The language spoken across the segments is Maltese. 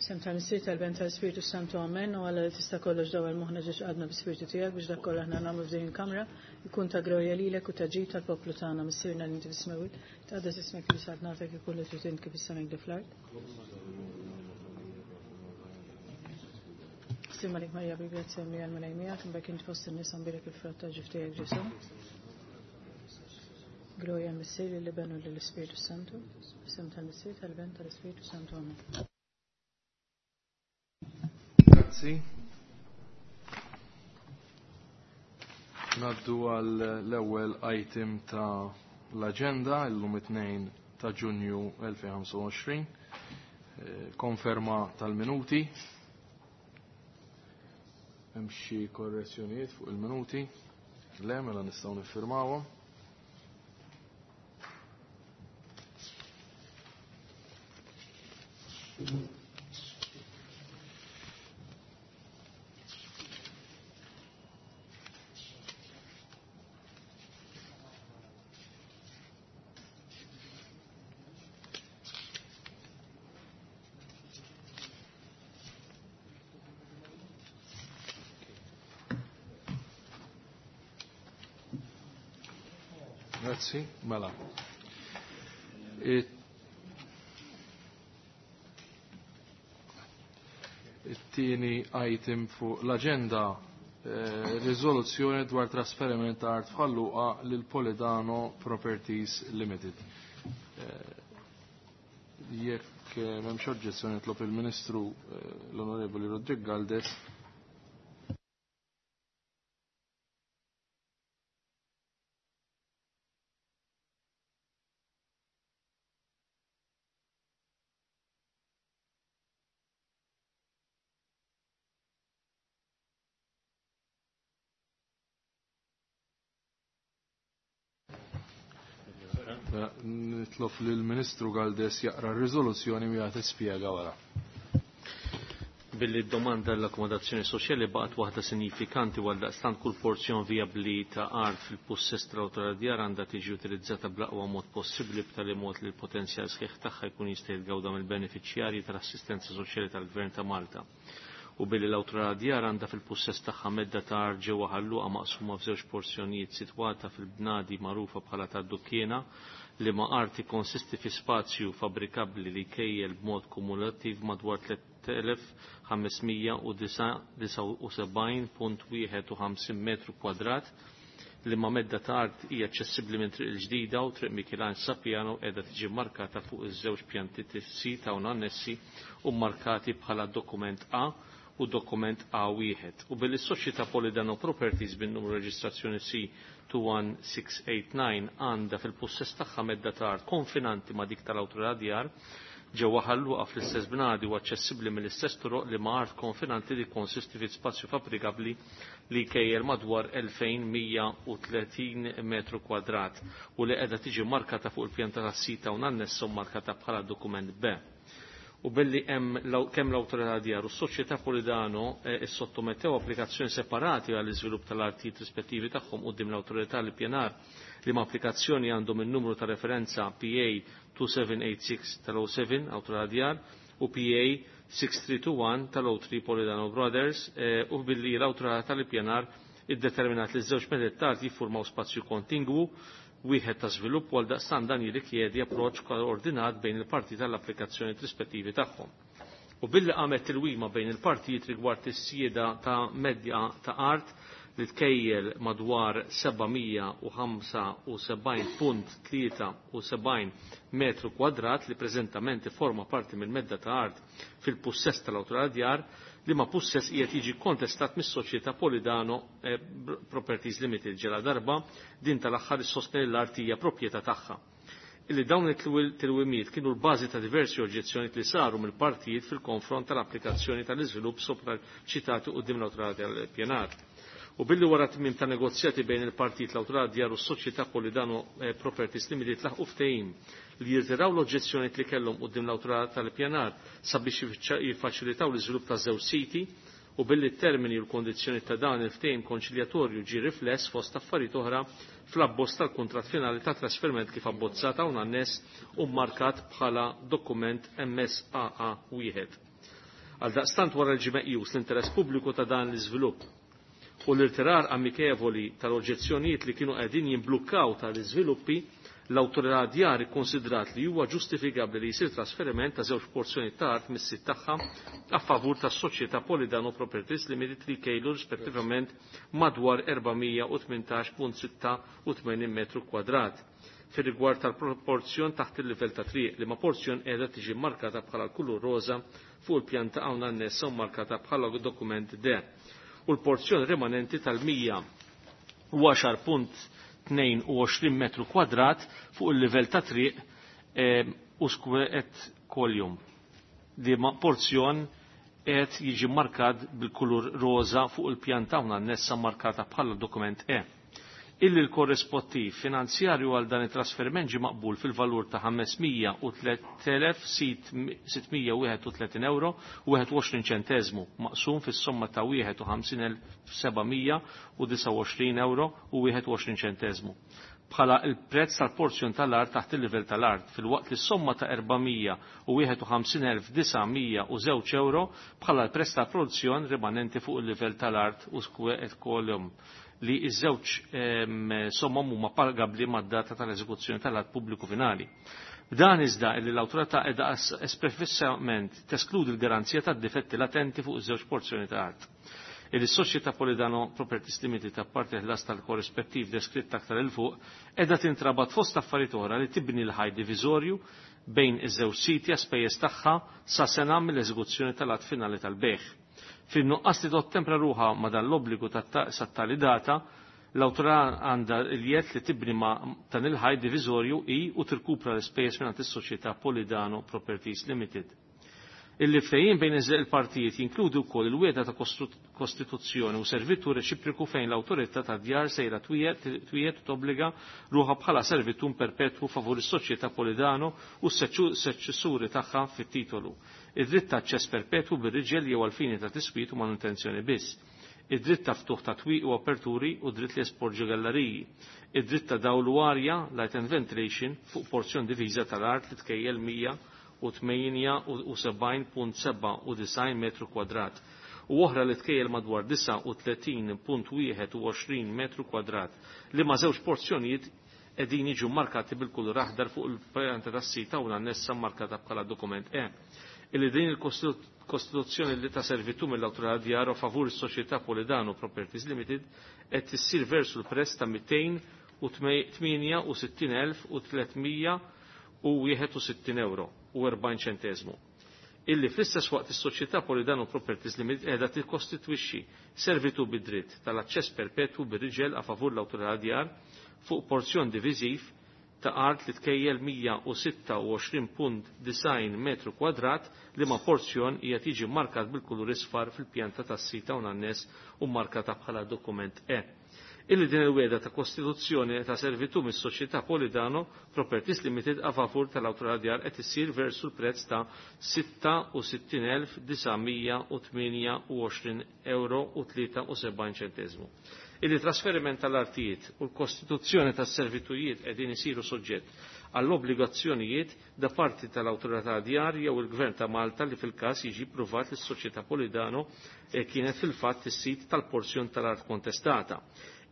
Sem tal-Missier tal-Ben tal-Spiritu Santu Amen u Alla li tista' kollox dawwal moħħna ġiex għadna bi-Spiritu tiegħek biex dak kollha aħna nagħmlu f'din il-kamra jkun ta' glorja lilek u ta' ġid tal-poplu tagħna Missierna li inti fis-smewwiet tqaddes ismek li saltnatek ikun li trid int kif is-sema hekk fl-art. Slim għalik Marija bil-grazzja mlija l-Mulej miegħek, imbagħad int fost in-nisa mbierek il-frott ta' ġuf tiegħek Ġesù. Glorja l-Missier lill-Iben u lill-Ispiritu Santu. Sem tal-Missier tal-Ben tal-Ispiritu Santu. Amen. Grazzi. Naddu għal l-ewwel item ta' l-agenda illum it-tnejn ta' Ġunju 2025. Konferma tal-minuti. Hemm xi korrezzjonijiet fuq il-minuti? Le, mela nistgħu niffirmawhom. Grazzi, mela. It-tieni item fuq l-agenda riżoluzzjoni dwar trasferiment ta' art f'Ħal-Luqa lil Polidano Properties Limited. Jekk m'hemmx oġġezzjoni nitlob il-Ministru l-Onorevoli Rodrik Galdes. Nitlob lill-Ministru Galdes jaqra r-riżoluzzjoni u jagħti spjega wara. Billi d-domanda l-akkomodazzjoni soċjali baqgħet waħda sinifikanti għal daqstant kull porzjon vijabbli ta' art fil-pussess tal-awtorità djar għandha tiġi utilizzata bl-aqwa mod possibbli b'tali mod li l-potenzjal sħiħ tagħha jkun jista' jitgawda mill-benefiċjarji tal-assistenza soċjali tal-Gvern ta' Malta. U billi l-awtorità djar għandha fil-pussess tagħha medda ta' art ġewwa Ħal Luqa maqsuma f'żewġ porzjonijiet sitwata fil-bnadi magħrufa bħala tad-Dukkiena li ma' art ikkonsisti fi spazju fabbrikabbli li jkejjel b'mod kumulattiv madwar 3579.51 metru kwadrat li ma' medda ta' art hija aċċessibbli minn Triq il-Ġdida u Triq Michelanġ Sapiano qiegħda tiġi markata fuq iż-żewġ pjanti sit hawn annessi u markati bħala dokument A u dokument A1. U billi s-Soċjetà Polidano Properties bin-numru reġistrazzjoni C 21689 għandha fil-pussess tagħha medda ta' art konfinanti ma' dik tal-awtorità djar ġewwa Ħal Luqa fl-istess bnadi u aċċessibbli mill-istess toroq li ma' art konfinanti li konsisti fi spazju fabbrikabbli li jkejjel madwar 2130 metru kwadrat u li qiegħda tiġi markata fuq il-pjanta tas-sita u annessa u markata bħala dokument B. U billi hemm kemm l-awtorità djar u s-Soċjetà Polidano issottomettew applikazzjoni separati għall-iżvilupp tal-artijiet rispettivi tagħhom quddiem l-awtorità li pjanar li ma' applikazzjoni għandhom in-numru ta' referenza PA 2786 tal-07 awtorità djar u PA 6321 tal-03 Polidano Brothers u billi l-awtorità tal-ippjanar iddeterminat li ż-żewġ meded ta' art jiffurmaw spazju kontingwu wieħed ta' żvilupp għal daqstan dan jirrikjedi approċċ koordinat bejn il-parti tal-applikazzjoni rispettivi tagħhom. U billi qamet tilwima bejn il-partijiet rigward is-sjieda ta' medja ta' art li tkejjel madwar 775.73 metru kwadrat li preżentament forma parti mill-medda ta' art fil-pussess tal-awtorità djar li ma pussess qiegħed jiġi kontestat mis-Soċjetà Polidano Properties Limited ġela darba din tal-aħħar issostni l-art hija proprjetà tagħha. Illi dawn it-tilwimiet kienu l-bażi ta' diversi oġġezzjonijiet li saru mill-partijiet fil-konfront tal-applikazzjoni tal-iżvilupp sopra ċitati quddiem l-awtorità tal-pjanar. U billi wara tmiem ta' negozjati bejn il-partit l-awtorità djar u s-Soċjetà Polidano Properties Limited laħqu ftehim li jirtiraw l-oġġezzjonijiet li kellhom quddiem l-awtorità tal-pjanar sabiex jiffaċilitaw l-iżvilupp ta' żewġ siti u billi t-termini u l-kondizzjoni ta' dan il-ftehim konċiljatorju ġie rifless fost affarijiet oħra fl-abbozz tal-kuntratt finali ta' trasferiment kif abbozzata hawn anness u mmarkat bħala dokument MSAA wieħed. Għaldaqstant wara li ġie meqjus l-interess pubbliku ta' dan l-iżvilupp u l-irtirar amikevoli tal-oġġezzjonijiet li kienu qegħdin jimblukkaw tal-iżviluppi, l-awtorità djar ikkonsidrat li huwa ġustifikabbli li jsir trasferiment ta' żewġ porzjoni ta' art mis-sit tagħha a favur tas-soċjetà Polidano Properties Limited li jkejlu rispettivament madwar 418.86 metru kwadrat fir-rigward tal-proporzjon taħt il-livell ta' triq li ma' porzjon qiegħda tiġi markata bħala l-kulur roża fuq il-pjanta hawn annessa u markata bħala dokument D u l-porzjon rimanenti tal-110.22 metru kwadrat fuq il-livell ta' triq u et kolium. Li ma' porzjon qed jiġi markat bil-kulur roża fuq il-pjanta hawn annessa markata bħala dokument E. Illi l-korrespottiv finanzjarju għal dan it-trasferiment ġie maqbul fil-valur ta' 503,631 euro u 21 ċentezmu maqsum fis-somma ta' 51,729 euro u 21 ċentezmu bħala il-prezz tal-porzjon tal-art taħt il-livell tal-art fil-waqt li s-somma ta' 451,902 euro bħala l-prezz tal-produzzjon rimanenti fuq il-livell tal-art u et kolum li iż-żewġ sommom huma pagabbli mad-data tal-eżekuzzjoni tal-att pubbliku finali. B'dan iżda li l-awtorità qiegħda espressament teskludi l-garanzija tad-difetti latenti fuq iż-żewġ porzjoni ta' art. Illi s-soċjetà Polidano Properties Limited apparti ħlas tal-korrispettiv deskritt aktar il fuq qiegħda tintrabat fost affarijiet oħra li tibni l-ħaj diviżorju bejn iż-żewġ siti spejjeż tagħha sa sena mill-eżekuzzjoni tal-att finali tal-bejħ. Fin-nuqqas li tottempra ruħa ma dan l-obbligu sat-tali data, l-awtorità għandha l-jett li tibni ma dan il-ħaj diviżorju i u tirkupra l-ispejjeż mingħand is-soċjetà Polidano Properties Limited. Illi ftehim bejn il-partijiet jinkludi wkoll il-wieda ta' kostituzzjoni u servitù reċiproku fejn l-awtorità ta' djar sejra twiet u tobbliga ruħha bħala servitù perpetwu favur is-soċjetà Polidano u s-seċessuri tagħha fit-titolu. Id-dritt ta' aċċess perpetwu bir-riġel jew għal-fini ta' tiswit u manutenzjoni biss. Id-dritt ta' ftuħ ta' twieq u aperturi u dritt li jesporġu galleriji. Id-dritt ta' dawl u arja, light and ventilation, fuq porzjon diviża tal-art li tkejjel 178.97 metru kwadrat u oħra li tkejjel madwar 39.21 metru kwadrat li ma' żewġ porzjonijiet qegħdin jiġu markati bil-kulur aħdar fuq il-pjanta tas-sita u l-annessa markata bħala dokument E. Illi din il-kostituzzjoni li ta' servitù mill-awtorità djar favur is-soċjetà Polidano Properties Limited qed issir versu l-prezz ta' 268,361 euro u 40 ċentezmu. Illi fl-istess waqt is-soċjetà Polidano Properties Limited qiegħda tikkostitwixxi servitù bid-dritt tal-aċċess perpetwu bir-riġel a favur l-awtorità djar fuq porzjon diviżiv ta' art li tkejjel 126.9 metru kwadrat li ma' porzjon hija tiġi markat bil-kulur isfar fil-pjanta tas-sita u annes u markata bħala dokument E. Illi din il-weda ta' kostituzzjoni ta' servitù mis-soċjetà Polidano Properties Limited a favur tal-awtorità djar qed issir versu l-prezz ta' 66,928 euro u 73 ċentezmu. Illi trasferiment tal-artijiet u l-kostituzzjoni tas-servitujiet qegħdin isiru soġġett għall-obbligazzjonijiet da parti tal-awtorità djar jew il-Gvern ta' Malta li fil-każ jiġi pruvat li s-soċjetà Polidano kienet fil-fatt is-sit tal-porzjon tal-art kontestata.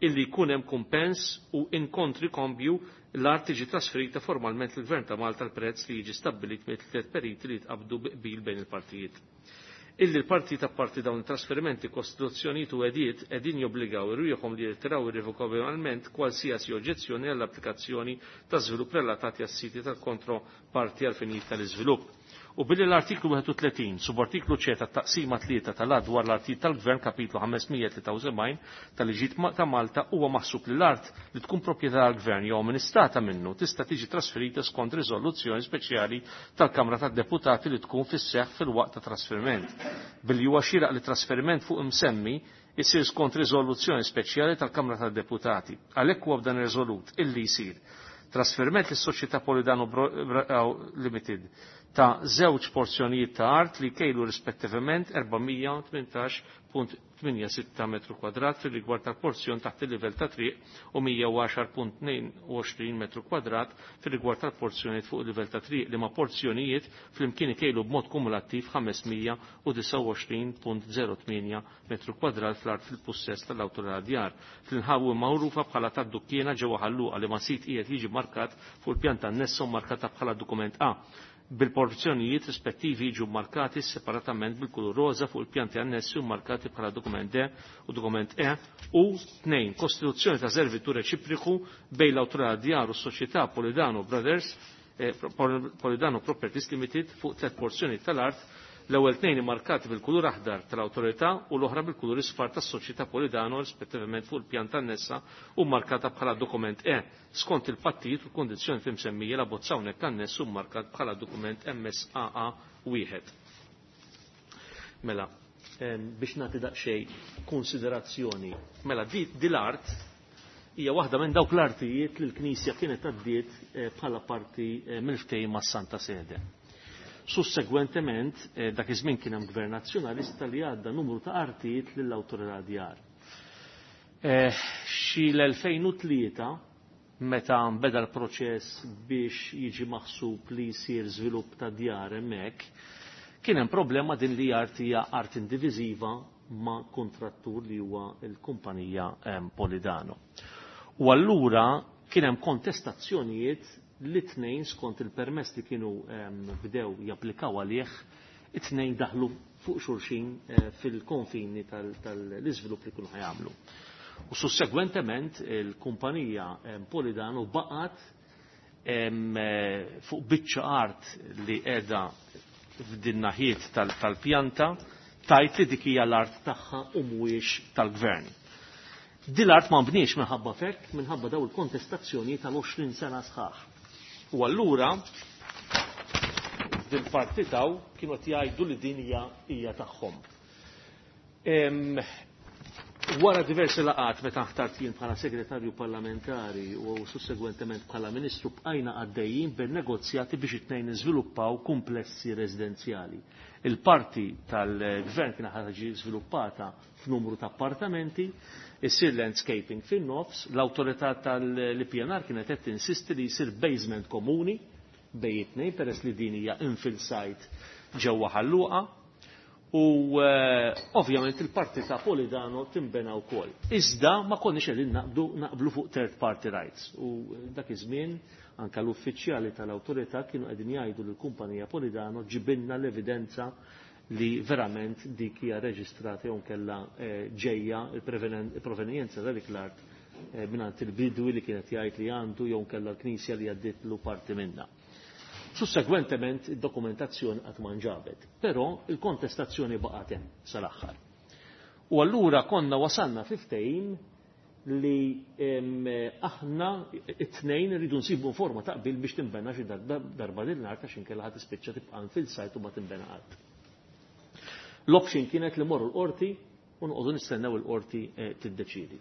Illi jkun hemm kumpens u inkontri kombju l-art tiġi trasferita formalment lill-Gvern ta' Malta l-prezz li jiġi stabbilit mill-tliet periti li jitqabdu bi qbil bejn il-partijiet. Illi l-parti ta' parti dawn it-trasferimenti kostituzzjonijiet u għediet qegħdin jobbligaw irwieħhom li jirtiraw irrevokabilment kwalsiasi oġġezzjoni għall-applikazzjoni ta' żvilupp relatati għas-siti tal-kontroparti għal finijiet tal-iżvilupp. U billi l-artiklu 31, subartiklu C tat-taqsima 3 tal-att dwar l-artijiet tal-Gvern kapitlu 573 tal-liġijiet ta' Malta huwa maħsub li l-art li tkun proprjetà tal-Gvern jew amministrata minnu tista' tiġi trasferita skont riżoluzzjoni speċjali tal-Kamra tad-Deputati li tkun fis-seħħ fil-waqt ta' trasferiment. Billi huwa xieraq li trasferiment fuq imsemmi isir skont riżoluzzjoni speċjali tal-Kamra tad-Deputati. Għalhekk huwa b'dan ir-riżolut illi jsir trasferiment lis-Soċjetà Polidano Limited ta' żewġ porzjonijiet ta' art li kejlu rispettivament 418.82 86 metru kwadrat fil-rigward tal-porzjon taħt il-livell ta' triq u 110.22 metru kwadrat fil-rigward tal-porzjonijiet fuq il-livell ta' triq li ma' porzjonijiet flimkien ikejlu b'mod kumulattiv 529.08 metru kwadrat fl-art fil-pussess tal-awtorità djar. Fl-inħawi magħrufa bħala tad-dukkiena ġewwa Ħalluqa li ma' sit qiegħed jiġi markat fuq il-pjan tan-nessa u markata bħala dokument A bil-porzjonijiet rispettivi jiġu markati separatament bil-kulur roza fuq il-pjanti annessi u markati bħala dokument D u dokument E u 2. Kostituzzjoni ta' servitu reċipriku bejn l-awtorità djar u s-soċjetà Polidano Brothers Polidano Properties Limited fuq tliet porzjoni tal-art l-ewwel tnejn immarkati bil-kulur aħdar tal-awtorità u l-oħra bil-kulur isfar tas-soċjetà Polidano rispettivament fuq il-pjan tan-nessa u markata bħala dokument E skont il-pattijiet u l-kondizzjoni imsemmija la bozza hawnhekk anness u markat bħala dokument MSAA wieħed. Mela, biex nagħti daqsxejn konsiderazzjoni. Mela, di l-art hija waħda minn dawk l-artijiet li l-Knisja kienet għaddiet bħala parti mill-ftehim mas-Santa Sede. Sussegwentement, dak iż-żmien kien hemm gvern nazzjonalista li għadda numru ta' artijiet lill-awtorità djar. Xi l-2003 meta beda l-proċess biex jiġi maħsub li jsir żvilupp ta' djar hemmhekk, kien hemm problema din li art hija art indiviżiva ma' kontrattur li huwa l-kumpanija Polidano. U allura kien hemm kontestazzjonijiet li tnejn skont il-permess li kienu bdew japplikaw għalih, it-tnejn daħlu fuq xulxin fil-konfini tal-iżvilupp li kienu ħajamlu. U sussegwentement il-kumpanija Polidano baqgħet fuq biċċa art li qiegħda f'din naħiet tal-pjanta tajt li dik hija l-art tagħha u mhuwiex tal-gvern. Din l-art ma nbniex minħabba fekk, minħabba daw il-kontestazzjoni tal-20 sena sħaħ. U allura din parti taw kienu qed jgħidu li din hija tagħhom. Wara diversi laqat meta ħtart jien bħala segretarju parlamentari u sussegwentement bħala ministru bqajna għaddejjin bin-negozjati biex it-tnejn niżviluppaw komplessi residenzjali. Il-parti tal-gvern kien ħaġa żviluppata f'numru ta' appartamenti, isir landscaping fin-nofs, l-awtorità tal-IPNR kienet qed tinsisti li jsir basement komuni bejn it-tnejn peress li din hija infill site ġewwa Ħalluqa. U ovvjament il-parti ta' Polidano timbena wkoll. Iżda ma konniex qegħdin naqblu fuq third party rights. U dak iż-żmien anke l-uffiċjali tal-awtorità kienu qegħdin jgħidu lill-kumpanija Polidano ġibilna l-evidenza li verament dik hija reġistrata jew kellha ġejja il-provenjenza ta' dik l-art mingħand il-bidwi li kienet jgħid li għandu jew kellha l-knisja li għaddietlu parti minnha. Sussegwentement id-dokumentazzjoni qatt ma nġabet, però il-kontestazzjoni baqgħet hemm sal-aħħar. U allura konna wasalna fi ftehim li aħna it-tnejn rridu nsibu forma ta' qbil biex tinbena xi darba din l-art għax inkella ħadd tispiċċa tibqa' fil-sajt u ma tinbena qatt. L-option kienet li morru l-qorti u noqogħdu nistennew il-qorti tiddeċiedi.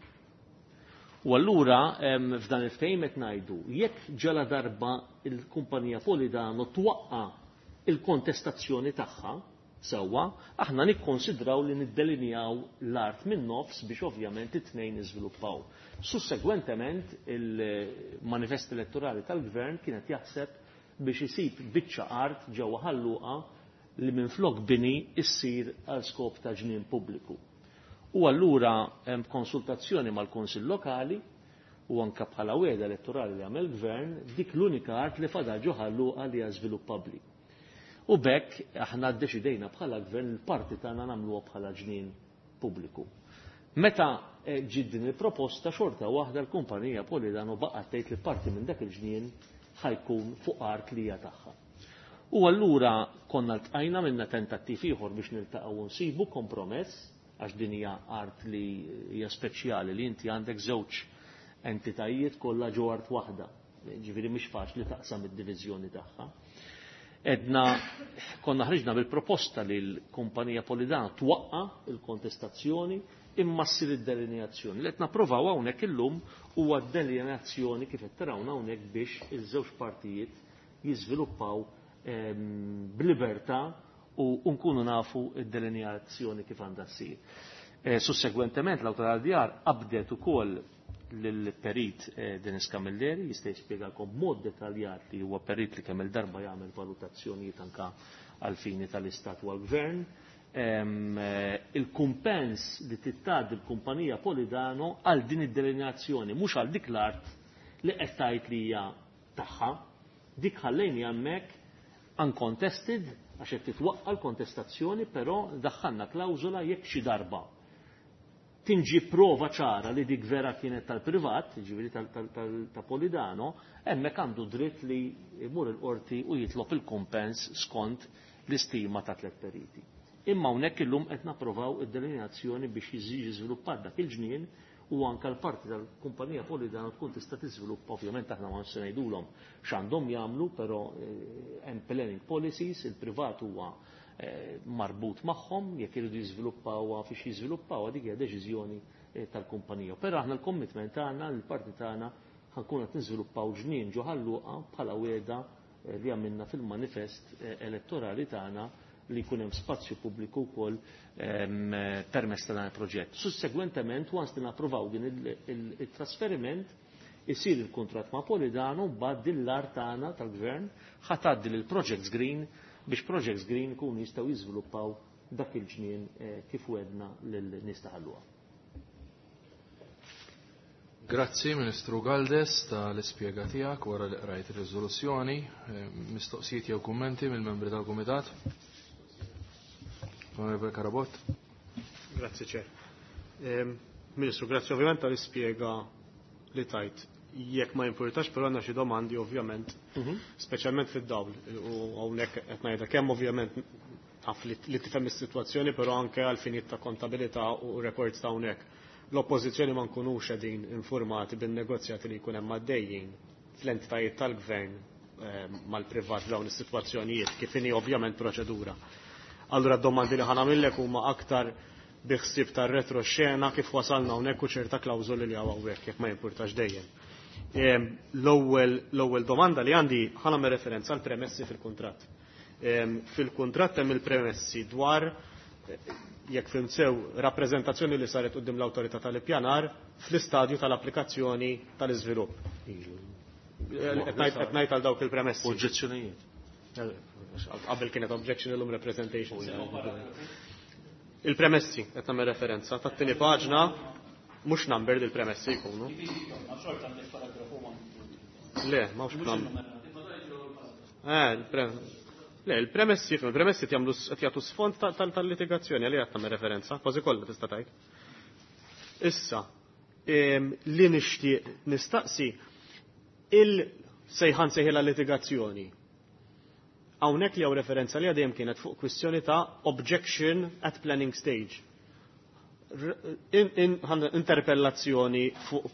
U allura f'dan il-ftehim qed ngħidu jekk ġala darba il-kumpanija Polidano twaqqa il-kontestazzjoni tagħha sewwa, aħna nikkonsidraw li niddelinjaw l-art minn nofs biex ovvjament it-tnejn niżviluppaw. Sussegwentement il-manifest elettorali tal-gvern kienet jaħseb biex isib biċċa art ġewwa Ħalluqa li minflok bini issir għal skop ta' ġnien pubbliku. U allura hemm konsultazzjoni mal-Kunsill Lokali u anka bħala wegħda elettorali li għamel gvern dik l-unika art li fadal ġo Ħalluqa li hija żviluppabbli. U bekk aħna ddeċidejna bħala gvern il-parti tagħna nagħmluha bħala ġnien pubbliku. Meta ġiet din il-proposta xorta waħda l-kumpanija Polidano baqgħet tgħid li parti minn dak il-ġnien ħajkun fuq art li hija tagħha. U allura konna ltqajna minna tentattiv ieħor biex niltaqgħu u nsibu kompromess għax din hija art li hija speċjali li inti għandek żewġ entitajiet kollha ġo art waħda. Ġifieri mhix faċli taqsam id-diviżjoni tagħha. Edna konna ħriġna bil-proposta li l-kumpanija Polidano twaqqa il-kontestazzjoni imma ssir id-delineazzjoni. Li qed napprovaw hawnhekk illum huwa d-delineazzjoni kif qed tarawna hawnhekk biex iż-żewġ partijiet jiżviluppaw b'libertà u nkunu nafu id-delineazzjoni kif għandha ssir. Sussegwentement l-Awtorità Djar qabdet ukoll lill-perit Dennis Camilleri, jista' jispjegalkom b'mod dettaljat li huwa perit li kemm il-darba jagħmel valutazzjonijiet anke għall-fini tal-Istat u għall-Gvern. Il-kumpens li tittgħaddi l-kumpanija Polidano għal din id-delineazzjoni, mhux għal dik l-art li qed tgħid li hija tagħha, dik ħallejni hemmhekk uncontested għax qed titwaqqa' l-kontestazzjoni, però daħħalna klawżola jekk xi darba tinġi prova ċara li dik vera kienet tal-privat, ġifieri ta' Polidano, hemmhekk għandu dritt li jmur il-qorti u jitlob il-kumpens skont l-istima ta' 3 periti. Imma hawnhekk illum qed napprovaw id-delineazzjoni biex jiġi żviluppat dak il-ġnien u anke l-parti tal-kumpanija Polidano tkun tista' tiżviluppa. Ovvjament aħna ma nistgħu ngħidulhom x'għandhom jagħmlu, però hemm planning policies, il-privat huwa marbut magħhom, jekk iridu jiżviluppawha fiex jiżviluppawha, dik hija deċiżjoni tal-kumpanija. Però aħna l-commitment tagħna, l-parti tagħna ħankun qed niżviluppaw ġnien ġo Ħal Luqa bħala wiegħda li għamilna fil-manifest elettorali tagħna li jkun hemm spazju pubbliku wkoll permezz ta' dan il-proġett. Sussegwentement, once li napprovaw din il-trasferiment, isir il-kuntratt ma' Polidano, mbagħad din l-art tagħna tal-gvern ħa tgħaddi lil Projects Green biex Projects Green ikunu jistgħu jiżviluppaw dak il-ġnien kif wedna lil nies ta' Ħal Luqa. Grazzi Ministru Galdes tal-ispjega tiegħek wara li qrajt ir-riżoluzzjoni. Mistoqsijiet jew kummenti mill-membri tal-Kumitat? Onorevole Carabott. Grazzi Ċer. Ministru, grazzi ovvjament tal-ispjega li tajt. Jekk ma jimpurtax, però għandna xi domandi ovvjament, speċjalment fid-dawl u hawnhekk qed ngħidha kemm ovvjament taf li tifhem is-sitwazzjoni, però anke għal finijiet ta' kontabilità u records ta' hawnhekk. L-oppożizzjoni ma nkunux qegħdin informati bin-negozjati li jkun hemm għaddejjin fl-entitajiet tal-gvern mal-privat f'dawn is-sitwazzjonijiet, kif inhi ovvjament proċedura. Allura d-domandi li ħanamillek huma aktar biħsib tar-retroxena kif wasalna hawnhekk u ċerta klawżoli li hawn hawnhekk jekk ma jimpurtax dejjem. L-ewwel domanda li għandi ħanagħmel referenza għal premessi fil-kuntratt. Fil-kuntratt hemm il-premessi dwar jekk fhimt sew rappreżentazzjoni li saret quddiem l-awtorità tal-ippjanar fl-istadju tal-applikazzjoni tal-iżvilupp. Qed ngħid għal dawk il-premessi. Oġġezzjonijiet. Qabel kienet objection illum representation. Il-premessi qed nagħmel referenza tat-tieni paġna mhux numbered il-premessi jkunu. Le, ma hux number. Le, il-premessi, il-premessi qed jagħtu sfond tal-litigazzjoni għalli qed nagħmel referenza, kważi kollha tista' tgħid. Issa, li nixtieq nistaqsi il-sejħan sejħila litigazzjoni. Hawnhekk li hawn referenza li għadejjem kienet fuq kwistjoni ta' objection at planning stage. Interpellazzjoni fuq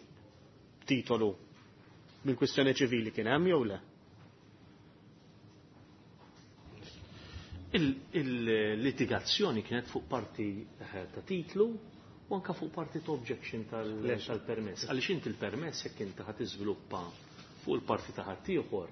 titolu mill-kwistjoni ċivili kien hemm jew le? Il-litigazzjoni kienet fuq parti ta' titlu u anka fuq parti ta' objection tal-permess. Għaliex inti il-permess jekk inti ħadd iżviluppa fuq il-parti ta' ħaddieħor,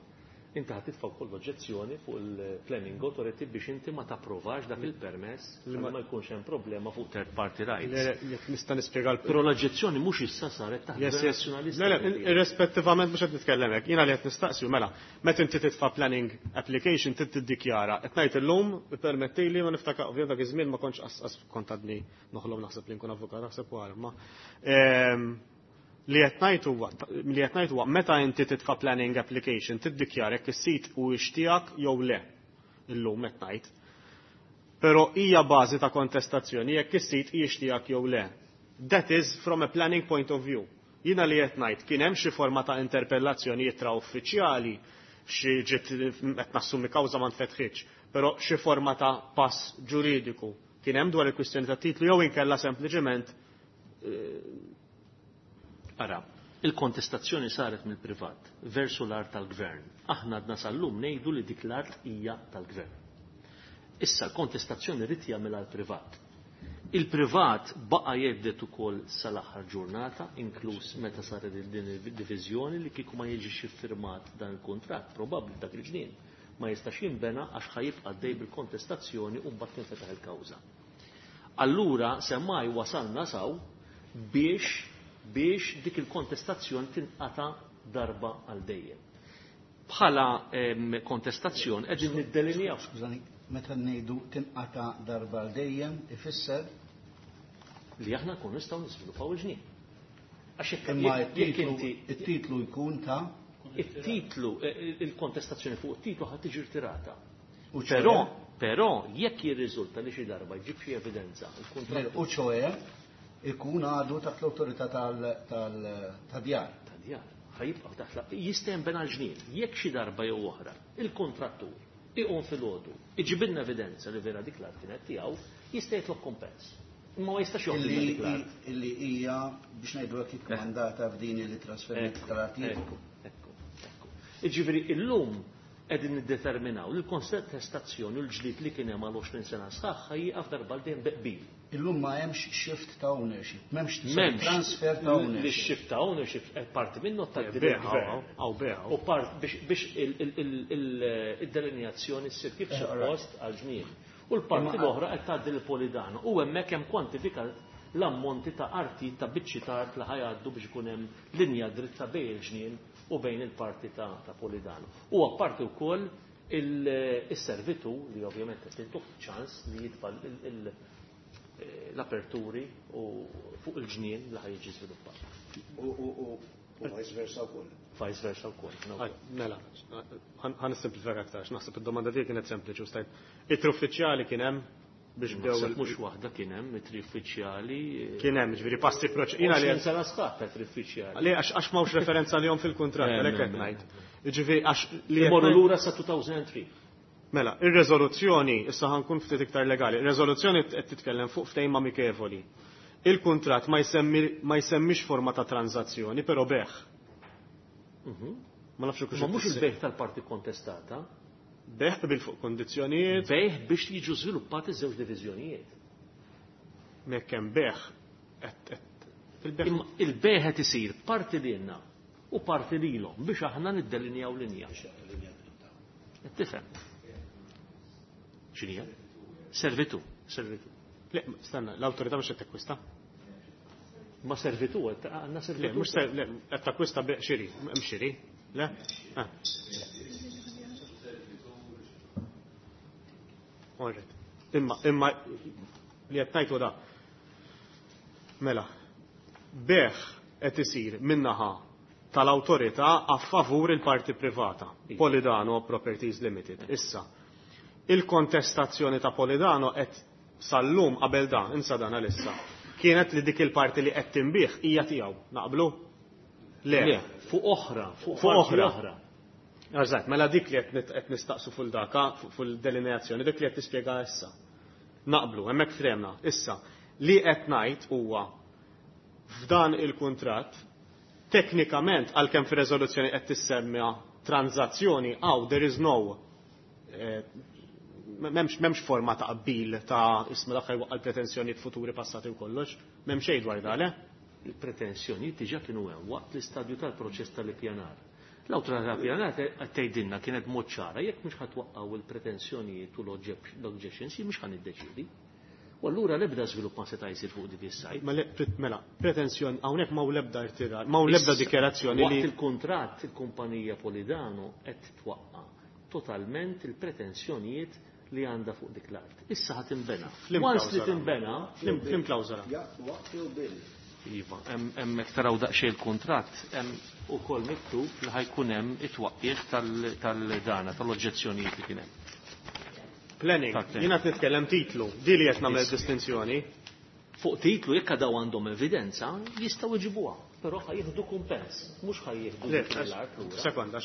inti ħadd titfa' wkoll oġġezzjoni fuq il-planning authority biex inti ma tapprovax dak il-permess li ma jkunx hemm problema fuq third party rights. Le, jekk nista' nispjega l- Però l-oġġezzjoni mhux issa saret taħt Yes, yes. nazzjonalista. Le, le, irrispettivament mhux qed nitkellem hekk. Jiena li qed nistaqsi mela, meta inti titfa' planning application trid tiddikjara. Qed ngħid illum ippermettili ma niftakar ovvjament dak iż-żmien ma kontx qas kont għadni noħlom naħseb li nkun avukat naħseb wara, ma li qed ngħid huwa, li qed ngħid huwa meta inti titfa' planning application tiddikjara jekk is-sit huwiex tiegħek jew le. Illum qed ngħid. Però hija bażi ta' kontestazzjoni jekk is-sit hijiex tiegħek jew le. That is from a planning point of view. Jiena li qed ngħid kien hemm xi forma ta' interpellazzjoni ittra uffiċjali xi ġiet qed nassumi kawża ma nfetħitx, però xi forma ta' pass ġuridiku kien hemm dwar il-kwistjoni ta' titlu jew inkella sempliċement Ara, il-kontestazzjoni saret mill-privat versu l-art tal-gvern. Aħna għadna sal-lum ngħidu li dik l-art hija tal-gvern. Issa l-kontestazzjoni rid jagħmilha l-privat. Il-privat baqa' jeddet ukoll sal-aħħar ġurnata, inkluż meta saret din id-diviżjoni li kieku ma jiġix iffirmat dan il-kuntratt, probabbli dak il-ġnien ma jistax jinbena għax ħajibqa' dej bil-kontestazzjoni u mbagħad tinfetaħ il-kawża. Allura semmai wasalna saw biex dik il-kontestazzjoni tinqata darba għal dejjem. Bħala kontestazzjoni qegħdin niddelinjaw. Skużani, meta ngħidu tinqata darba għal dejjem ifisser li aħna nkunu nistgħu niżviluppaw il-ġnien. Għax jekk inti it-titlu jkun ta' it-titlu, il-kontestazzjoni fuq it-titlu ħad tiġi rtirata. Però jekk jirriżulta li xi darba jġib xi evidenza, il-kuntratt. U ċoe ikun għadu taħt l-awtorità tad-djar. Tad-djar. Ħajibqa' taħt jista' jinbena l-ġnien. Jekk xi darba jew oħra, il-kontrattur iqum filgħodu, iġibilna evidenza li vera dik l-art kienet tiegħu, jista' jitlob kumpens. Imma ma jistax joħodilna dik l-art. Illi hija biex ngħidu hekk ikkmandata f'din li trasferiment tal-artijiet. Ekku, ekku. Jiġifieri illum qegħdin niddeterminaw li l-kontestazzjoni u l-ġlied li kien hemm għal 20 sena sħaħ ħa jieqaf darba għal dejjem bi qbil. Illum ma hemmx shift ta' ownership, m'hemmx transfer ta' ownership. Li shift ta' ownership parti minnu tgħaddi lill-gvern. U part biex id-delineazzjoni ssir kif suppost għal ġnien. U l-parti l-oħra qed tgħaddi lil Polidano. U hemmhekk hemm kwantifikat l-ammonti ta' arti ta' biċċi ta' art li ħajgħaddu biex ikun hemm linja dritta bejn il-ġnien u bejn il-parti ta' Polidano. U apparti wkoll il-servitu li ovvjament qed tintuh ċans li jitfa' l-aperturi u fuq il-ġnien li ħajġi żviluppat. U vice versa wkoll. Vice versa wkoll. Mela, ħa nissimplifika aktar, naħseb id-domanda tiegħi kienet sempliċi u stajt. Ittri uffiċjali kien hemm biex bdew mhux waħda kien hemm ittri uffiċjali. Kien hemm, ġifieri passi jiena li sena sħaħ ta' ittri uffiċjali. Le għax m'hawnx referenza lihom fil-kuntratt, għalhekk qed ngħid. Ġifieri għax li Imorru lura sa 2003. Mela, ir-reżoluzzjoni, issa ħa nkun ftit iktar legali, ir-reżoluzzjoni qed titkellem fuq ftehim amikevoli. Il-kuntratt ma jsemmix forma ta' tranzazzjoni, però bejgħ. Ma nafx Ma mhux il-bejgħ tal-parti kontestata. Bejgħ bil fuq kondizzjonijiet. Bejgħ biex jiġu żviluppati żewġ diviżjonijiet. Mekk hemm bejgħ fil-bejgħ. Il-bejgħ qed isir parti lilna u parti lilhom biex aħna niddelinjaw linja. Tifhem. X'inhija? Servitu, servitu. Le, stenna, l-awtorità mhux qed takkwista. Ma servitu, għandna servitu. Le, mhux le, qed takkwista xiri, hemm xiri. Le? Alright. Imma li qed ngħidu da. Mela, bejgħ qed isir min-naħa tal-awtorità a favur il-parti privata, Polidano Properties Limited. Issa, il-kontestazzjoni ta' Polidano qed sal-lum qabel dan, insa dan għalissa, kienet li dik il-parti li qed tinbih hija tiegħu. Naqblu? Le. Le, fuq oħra, fuq parti oħra. Eżatt, mela dik li qed nistaqsu fuq daka, fuq il-delineazzjoni, dik li qed tispjega issa. Naqblu, hemmhekk fremna. Issa, li qed ngħid huwa f'dan il-kuntratt teknikament għalkemm fir-reżoluzzjoni qed tissemmija tranzazzjoni hawn there is no m'hemmx forma ta' qbil ta' isma dak jwaqqa' l-pretensjonijiet futuri passati u kollox, m'hemm xejn dwar dan, le? Il-pretensjonijiet diġà kienu hemm waqt l-istadju tal-proċess tal-ippjanar. L-awtorità tal-ippjanar qed tgħidilna kienet mod ċara jekk mhux ħatwaqqgħu il-pretensjonijiet u l-objections jien mhux ħa niddeċiedi. U allura l-ebda żvilupp ma seta' jsir fuq dik is-sajt. Mela, pretensjoni hawnhekk ma l-ebda irtirar, ma l-ebda dikjarazzjoni li Waqt il-kuntratt il-kumpanija Polidano qed twaqqa' totalment il-pretensjonijiet li għandha fuq dik l-art. Issa ħa tinbena. Once li tinbena, Flim klawżola. Waqt jew bil. Iva, hemmhekk taraw daqsxejn il-kuntratt, hemm ukoll miktub li ħajkun hemm it-twaqqih tal-dana, tal-oġġezzjonijiet li kien hemm. Planning, jiena qed nitkellem titlu, di li qed nagħmel distinzjoni. Fuq titlu jekk daw għandhom evidenza, jistgħu jġibuha, però ħa jieħdu kumpens, mhux ħa jieħdu l-art lura. Sekonda,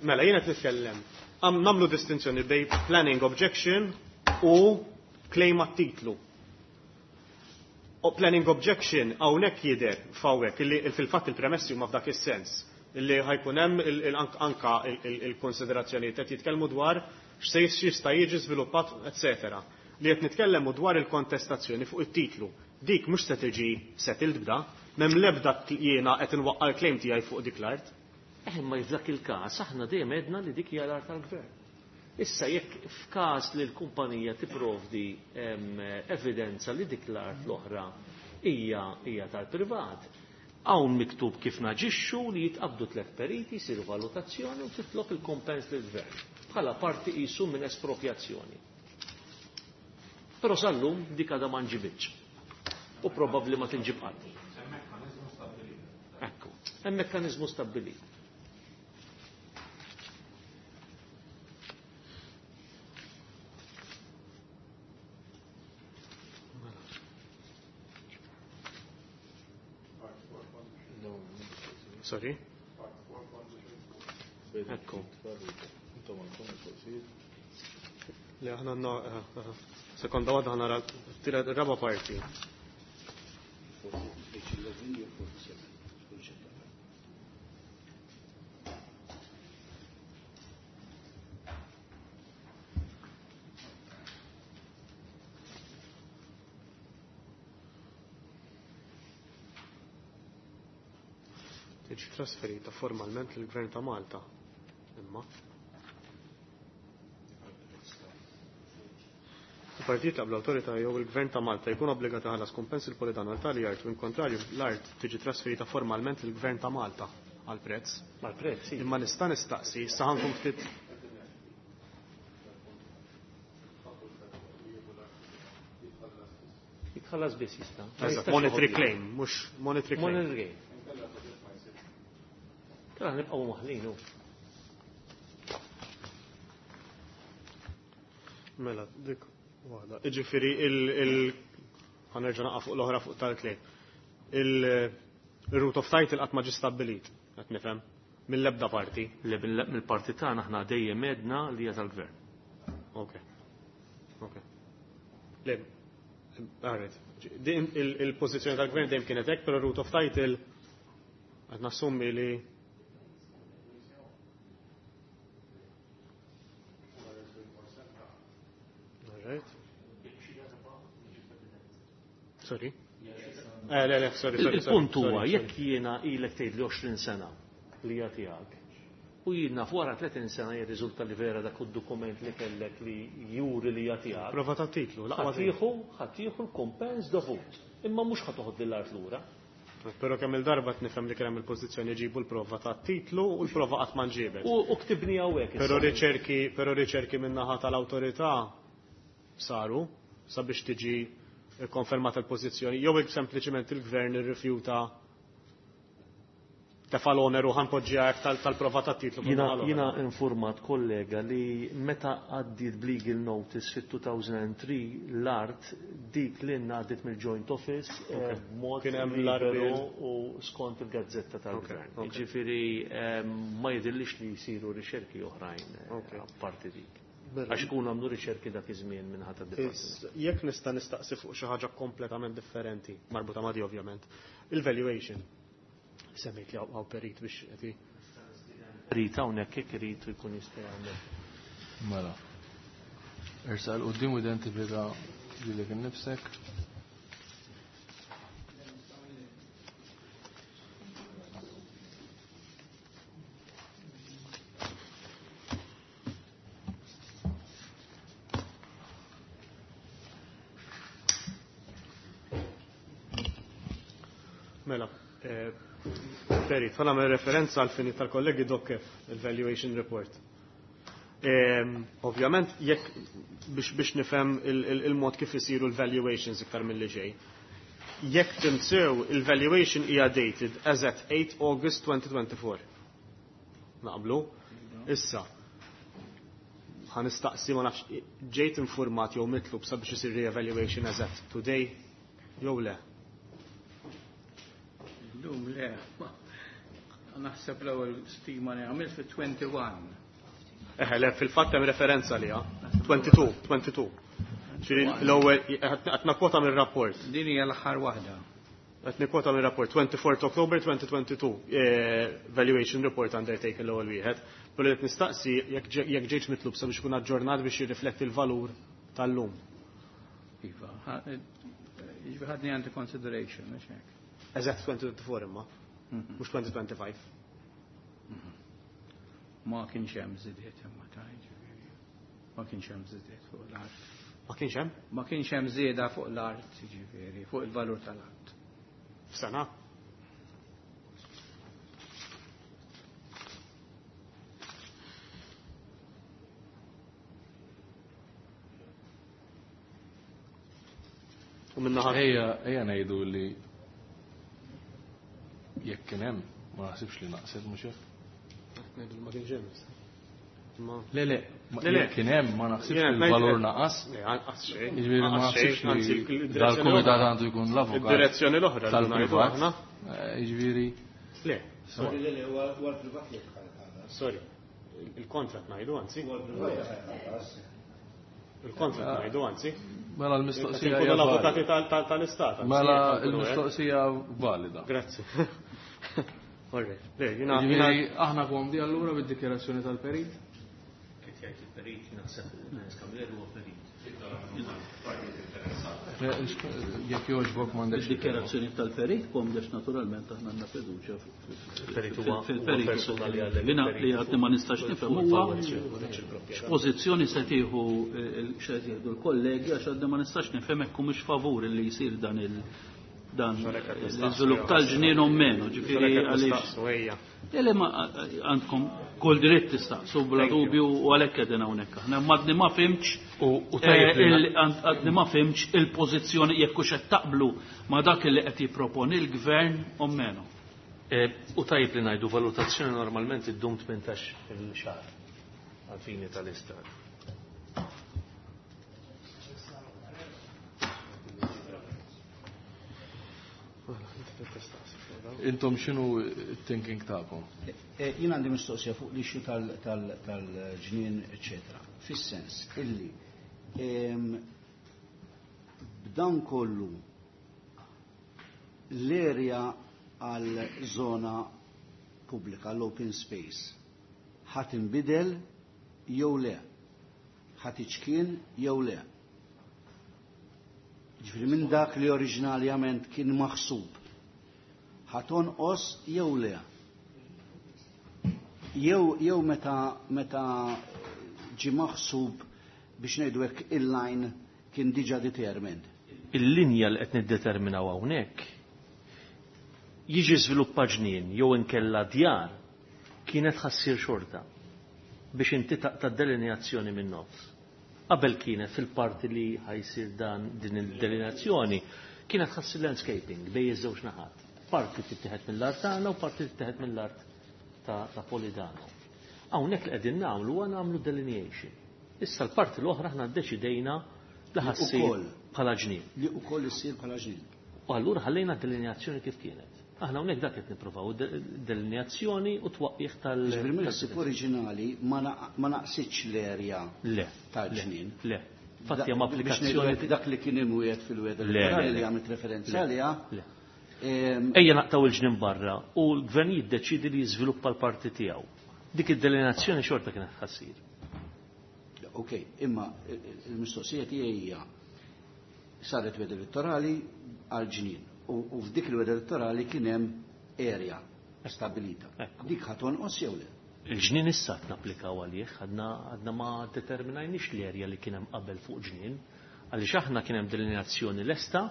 mela jiena qed nitkellem. Nagħmlu distinzjoni bejn planning objection u claim għat-titlu. U planning objection hawnhekk jidher f'hawnhekk illi fil-fatt il-premessi huma f'dak is-sens illi ħajkun hemm anka il-konsiderazzjonijiet qed jitkellmu dwar x'se jista' jiġi żviluppat, eċetera. Li qed nitkellmu dwar il-kontestazzjoni fuq it-titlu. Dik mhux se tiġi settled b'da, m'hemm l-ebda jiena qed inwaqqa' l-claim tiegħi fuq dik l-art. Imma f'dak il-każ aħna dejjem għedna li dik hija l-art tal-gvern. Issa jekk f'każ li l-kumpanija tipprovdi evidenza li dik l-art l-oħra hija tal-privat, hawn miktub kif naġixxu li jitqabdu tliet periti, jsiru valutazzjoni u titlob il-kumpens lill-gvern bħala parti qisu minn espropjazzjoni. Però sal-lum dik għadha ma nġibitx. U probabbli ma tinġib qatt. Ekku, hemm mekkaniżmu stabbilit. Sorry? Ekku. Le aħna għandna sekonda waħda ħa nara raba parti. Tiġi trasferita formalment lill-Gvern ta' Malta. Imma. Il-partijiet qabel l-awtorità jew il-Gvern ta' Malta jkun obbligat iħallas kumpens il-Polidano għal tali art u in kontrarju l-art tiġi trasferita formalment lill-Gvern ta' Malta għal prezz. Għal prezz, sì. Imma nista' nistaqsi, issa ħankun ftit Jitħallas biss jista'. Eżatt, monetary claim, mhux monetary claim. Monetary claim. Kalla nibqgħu maħlin hu. Mela, dik waħda. Iġifieri il ħa nerġa' naqa' fuq l-oħra fuq tal-claim. Il-root of title qatt ma ġie stabbilit, qed nifhem, mill-ebda parti. Le mill-parti tagħna aħna dejjem għedna li hija tal-gvern. Ok. Ok. Le, alright. Il-pożizzjoni tal-gvern dejjem kienet hekk, però root of title qed nassumi li Alright. Sorry. Le, le, sorry, sorry. Il-punt huwa jekk jiena ilek tgħid li 20 sena li hija tiegħek u jiena wara 30 sena jirriżulta li vera dak id-dokument li kellek li juri li hija tiegħek. Prova ta' titlu, l-aqwa Ħa tieħu l-kumpens dovut. Imma mhux ħa toħod lill-art lura. Però kemm il-darba nifhem li kien hemm il-pożizzjoni ġibu l-prova ta' titlu u l-prova qatt ma nġiebet. U ktibni hawnhekk. Però riċerki, però riċerki min-naħa tal-awtorità saru sabiex tiġi konfermata l-pożizzjoni jew hekk sempliċement il-gvern irrifjuta tefa' l-oneru ħa npoġġiha hekk tal-prova ta' titlu. Jiena informat kollega li meta għaddiet b'legal notice fit-2003 l-art dik li għaddiet mill-Joint Office b'mod Kien hemm liberu l-arbel. u skont il-gazzetta tal-gvern. Jiġifieri ma jidhirlix li jsiru riċerki oħrajn apparti dik. Għax ikunu għamlu riċerki dak iż-żmien minn ħadd id-dipartiment. Jekk nista' nistaqsi fuq xi ħaġa kompletament differenti, marbuta ma' di ovvjament, il-valuation. Semmejt li hawn perit biex qed Perit hawnhekk jekk irid jkun jista' jagħmel. Mela. Ersaq 'l quddiem u identifika lilek innifsek. Mela, Perit, ħa nagħmel referenza għal fini tal-kollegi Dokkef, il-Valuation Report. Ovvjament, jekk biex nifhem il-mod kif isiru l-valuations iktar mill-li ġej. Jekk tinsew, il-valuation hija dated as at 8 August 2024. Naqblu? Issa, ħa nistaqsi ma nafx, ġejt informat jew mitlub sabiex isir re-evaluation as at today, jew le? Illum le, naħseb l-ewwel stima li għamilt fit-21. Eħe, le, fil-fatt hemm referenza liha. 22, 22. Ġifieri l-ewwel qed nakkwota mir-rapport. Din hija l-aħħar waħda. Qed nikkwota mir-rapport 24 October 2022, valuation report undertaken l-ewwel wieħed. Però qed nistaqsi jekk ġejtx mitlub sabiex ikun aġġornat biex jirrifletti l-valur tal-lum. Iva, jiġifieri ħadni under consideration, mhux hekk. Eżatt 2024 imma, mhux 2025. Ma kienx hemm żidiet imma ta' jiġifieri. Ma kienx hemm żidiet fuq l-art. Ma kienx hemm? Ma kienx hemm żieda fuq l-art, jiġifieri, fuq il-valur tal-art. F'sena? U minnaħa Ejja, ejja ngħidu li jekk kien hemm, ma naħsibx li naqset mhux hekk. Ngħidu ma kienx hemm. Ma Le, le, Le, le. jekk kien hemm ma naħsibx Jien li ngħid- l-valur naqas. Le, anqas xejn. Jiġifieri ma Anqas xejn, naħsibx anzi, li il-direzzjoni dal-kumitat l-oħra. għandu jkun l-avukat Id-direzzjoni l-oħra li ngħidu tal-privat. aħna. Jiġifieri Le, Sorry, le, le, huwa l-privat li jitħallas. sorry. Il-kontrat ngħidu anzi. Huwa l-privat li jitħallas. Il-kontrat ngħidu anzi. mela l-mistoqsija Inkunu hija l-avukati valida. tal-istat. anzi, Mela jekk nkunu hekk. l-mistoqsija valida. Grazzi. All right. Le, jina Jiġifieri aħna komdi allura bid-dikjerazzjoni tal-perit? Qed jgħid il-perit, naħseb Camilleri huwa perit. Le, Jekk jogħġbok m'għandekx. Id-dikjerazzjoni tal-perit komdex naturalment aħna għandna fiduċja Il-perit huwa fil-perit. persuna li għalek. Jina li għadni ma nistax nifhem huwa x'pożizzjoni se tieħu x'qed jieħdu l-kollegi għax għadni ma nistax nifhem hekk humiex favur li jsir dan il dan l-iżvilupp tal-ġnien u meno, ġifieri għaliex. nistaqsu ejja. Ele ma għandkom kull dritt tistaqsu bla Thank you. dubju u għalhekk qegħdin hawnhekk. Aħna madni ma fimx U tajjeb li għadni ma fimx il-pożizzjoni jekk hux qed taqblu ma dak li qed jipproponi l-gvern u meno. U tajjeb li ngħidu valutazzjoni normalment iddum 18 il-xahar għal-fini tal-istat. Intom x'inhu t-thinking tagħkom? Jien għandi mistoqsija fuq l-issue tal-ġnien, eccetera. Fis-sens illi b'dan kollu l-area għal zona pubblika, l-open space, ħat inbidel jew le, ħat iċkien jew le. Ġifieri minn dak li oriġinarjament kien maħsub, ħa tonqos jew le. Jew meta ġi maħsub biex ngħidu hekk il-line kien diġà determined. Il-linja li qed niddeterminaw hawnhekk jiġi żviluppa ġnien jew inkella djar kienet ħassir xorta biex inti taqta' delineazzjoni minn nofs. Qabel kienet fil-parti li ħajsir dan din il-delineazzjoni kienet ħassir landscaping bejn iż-żewġ naħat. Parti tittieħed mill-art tagħna u parti tittieħed mill-art ta' Polidano. Hawnhekk li qegħdin nagħmlu huwa nagħmlu delineation. Issa l-parti l-oħra aħna ddeċidejna li ħassir Ukoll. bħala ġnien. Li wkoll issir bħala ġnien. U allura ħallejna delineazzjoni kif kienet. Aħna hawnhekk dak qed nippruvaw delineazzjoni u twaqqih tal. Ġifieri mill-ħsieb oriġinali ma naqsitx l-erja Le. tal-ġnien. Le. Fatti hemm Biex ngħidu applikazzjoni. hekk dak li kien imwiegħed fil-wegħda Le, le, elettorali le. li għamilt referenza Le, għaliha. le. Ejja naqtaw il-ġnien barra u l-gvern jiddeċidi li jiżviluppa l-parti tiegħu. Dik id-delineazzjoni xorta kienet ħassir. Ok, imma il-mistoqsija tiegħi hija saret wegħda elettorali għal ġnien u f'dik il-wegħda elettorali kien hemm area stabilita. Ekku. Dik ħa tonqos jew le? Il-ġnien issa qed napplikaw għalih, għadna ma determinajniex l-erja li kien hemm qabel fuq ġnien, għaliex aħna kien hemm delineazzjoni lesta,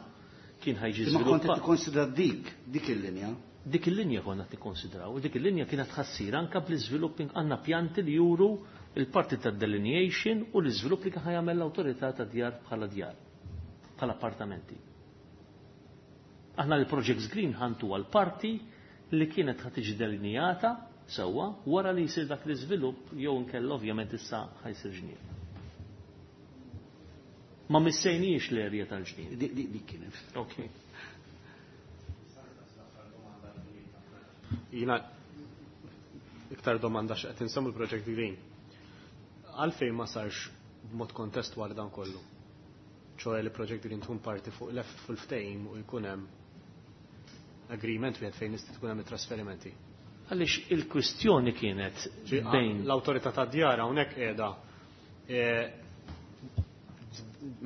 kien ħajġi Imma kont qed żviluppa. tikkonsidra dik il-linja. Dik il-linja konna tikkonsidraw, u dik il-linja kienet ħassir anka bl-iżvilupp għandna pjanti li juru il-parti tad delineation u l-iżvilupp li kien ħajamel l-awtorità ta' djar bħala djar, bħala appartamenti. Aħna l-Projects Green ħantu għal parti li kienet ħa tiġi delineata sewwa wara li jsir dak l-iżvilupp jew inkella ovvjament issa ħajsir ġnien. Ma missejniex l-erja tal-ġnien. Dik kienet. Ok. Jina iktar domanda x'qed insemmu l-Project Green. Għalfejn ma sarx b'mod kontestwali dan kollu? ċoħe li Project Green tkun parti fuq left fuq il-ftehim u jkun hemm agreement wieħed fejn nista' tkun hemm it-trasferimenti. Għaliex il-kwistjoni kienet bejn L-awtorità ta' djar hawnhekk qiegħda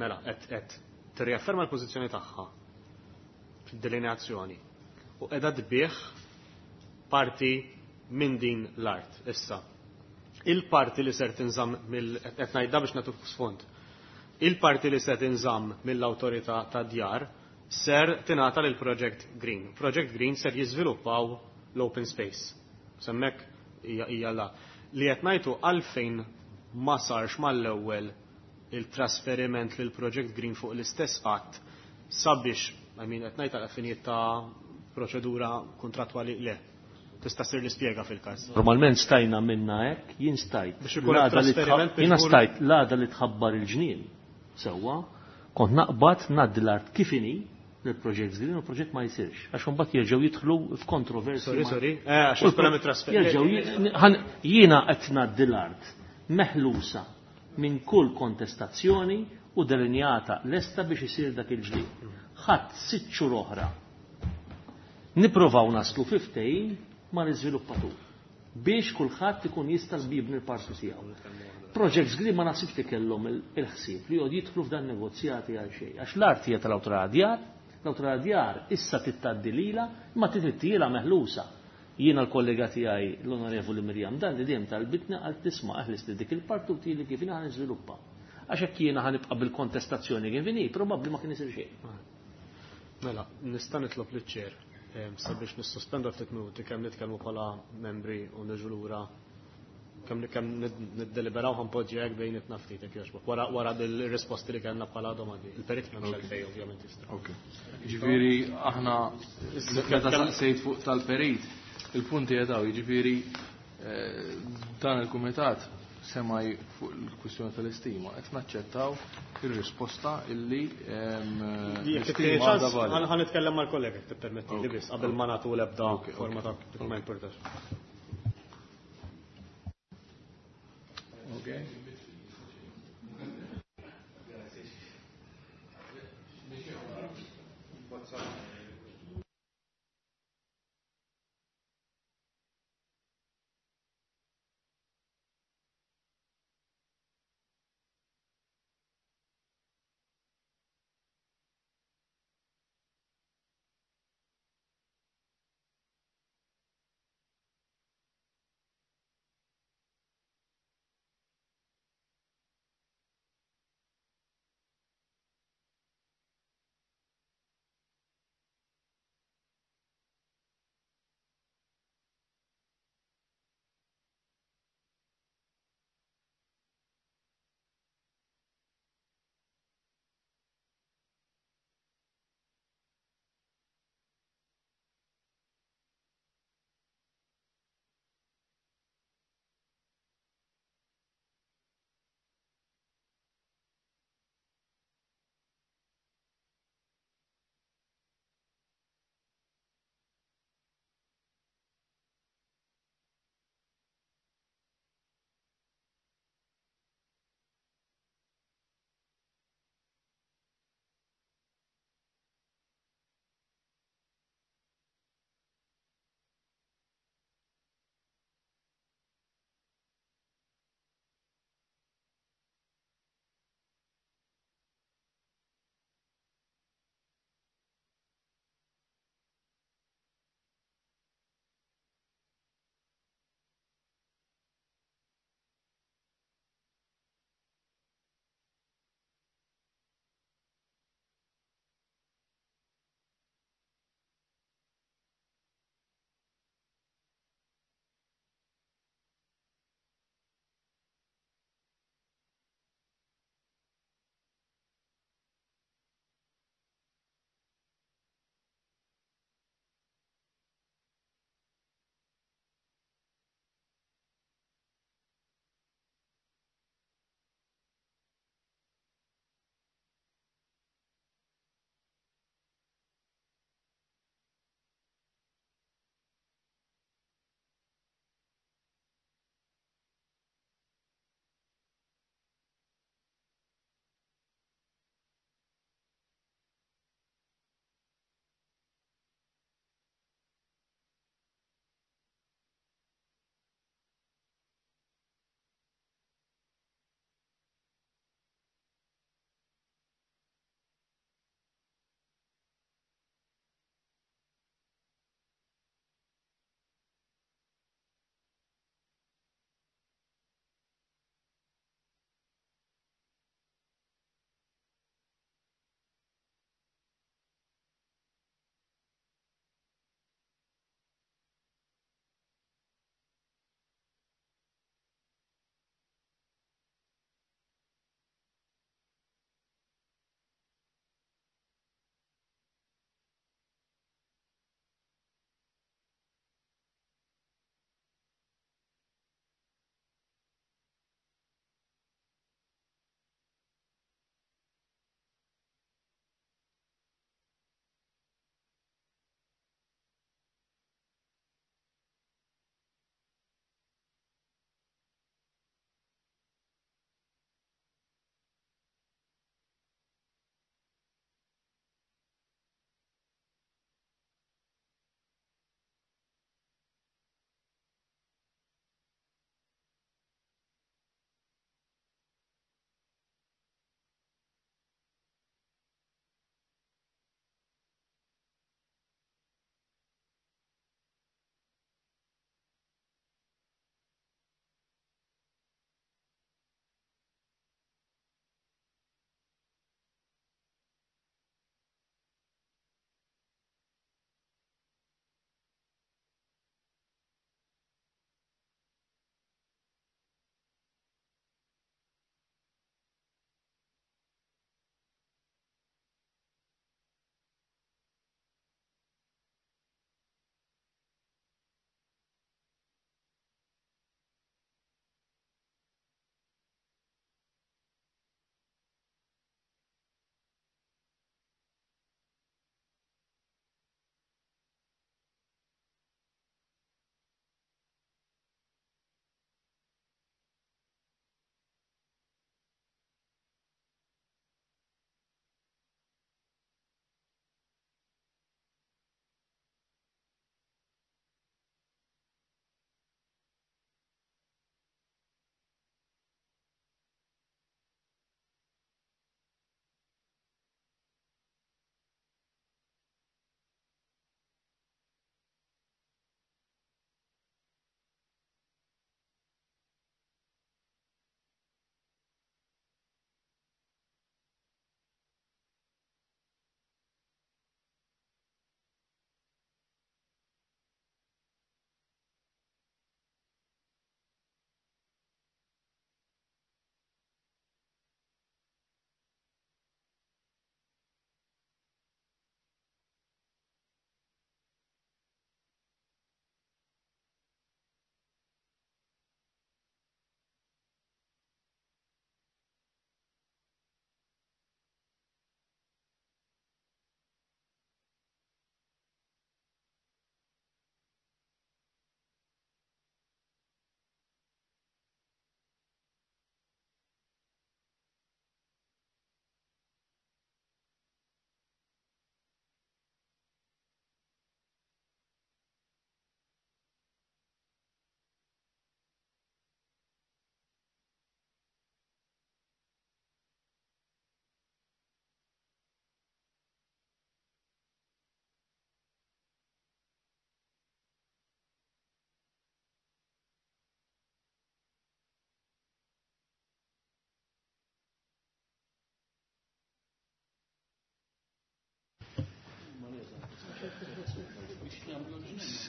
mela qed tirriafferma l-pożizzjoni tagħha fid-delineazzjoni u qiegħda tbih parti minn din l-art issa. Il-parti li ser tinżamm mill qed ngħidha biex nagħtuk sfond. Il-parti li ser tinżamm mill-awtorità tad-djar ser tingħata lil Project Green. Project Green ser jiżviluppaw l-open space. Semmek hija la. Li qed ngħidu għalfejn ma sarx mal-ewwel il-trasferiment lil Project Green fuq l-istess qatt sabiex, I mean, qed ngħid għal finijiet ta' proċedura kontrattwali le. Tista' ssir l-ispjega fil-każ. Normalment stajna minna hekk, jien stajt. Biex ikun hemm trasferiment biex Jiena stajt l-għada li tħabbar il-ġnien. Sewwa, kont naqbad ngħaddi l-art kif inhi lill-Project Green u l-proġett ma jsirx. Għax imbagħad jerġgħu jidħlu f'kontroversji. Sorry, sorry. Għax ikun hemm it-trasferiment. Jerġgħu jiena qed ngħaddi l-art meħlusa minn kull kontestazzjoni u delineata lesta biex isir dak il-ġnien. Ħadd 6 xhur oħra nipprovaw naslu fi ftehim mal-iżviluppatur biex kulħadd ikun jista' jibni l-parti tiegħu. Projects Green ma naħsibx li kellhom il-ħsieb li jgħod jidħlu f'dan negozjati għal xejn. Għax l-art hija tal-awtorità djar, l-awtorità djar issa tittaddi lilha, imma tittiela meħlusa. Jiena l-kollega tiegħi l-Onorevoli Mirjam Dalli dejjem talbitni għal tisma' eħlis li dik il-parti u tili kif jiena niżviluppa. Għax hekk jiena ħanibqa' bil-kontestazzjoni kif inhi, probabbli ma kien isir xejn. Mela, nista' nitlob liċ-ċer sabiex nissospendu ftit minuti kemm nitkellmu bħala membri u niġu lura kemm kemm niddeliberaw ħanpoġġi hekk bejnietna ftit jekk jogħġbok. Wara bil-risposti li kellna bħala domandi. Il-perit m'hemmx għalfejn ovvjament jista'. Ok. Jiġifieri aħna meta saqsejt fuq tal-perit, il-punti qed jiġifieri dan il-kumitat semaj fuq il-kwistjoni tal-istima, qed naċċettaw ir-risposta illi l-istima għadha valida. Ħa nitkellem mal-kollega tippermetti li biss qabel ma nagħtu l-ebda forma ta' ma importax. Okay.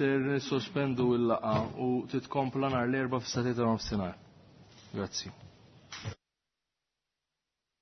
Ser nissospendu l-laqgħa u titkompla nhar l-Erbgħa fis-sagħtejn ta' nofsinhar. Grazzi.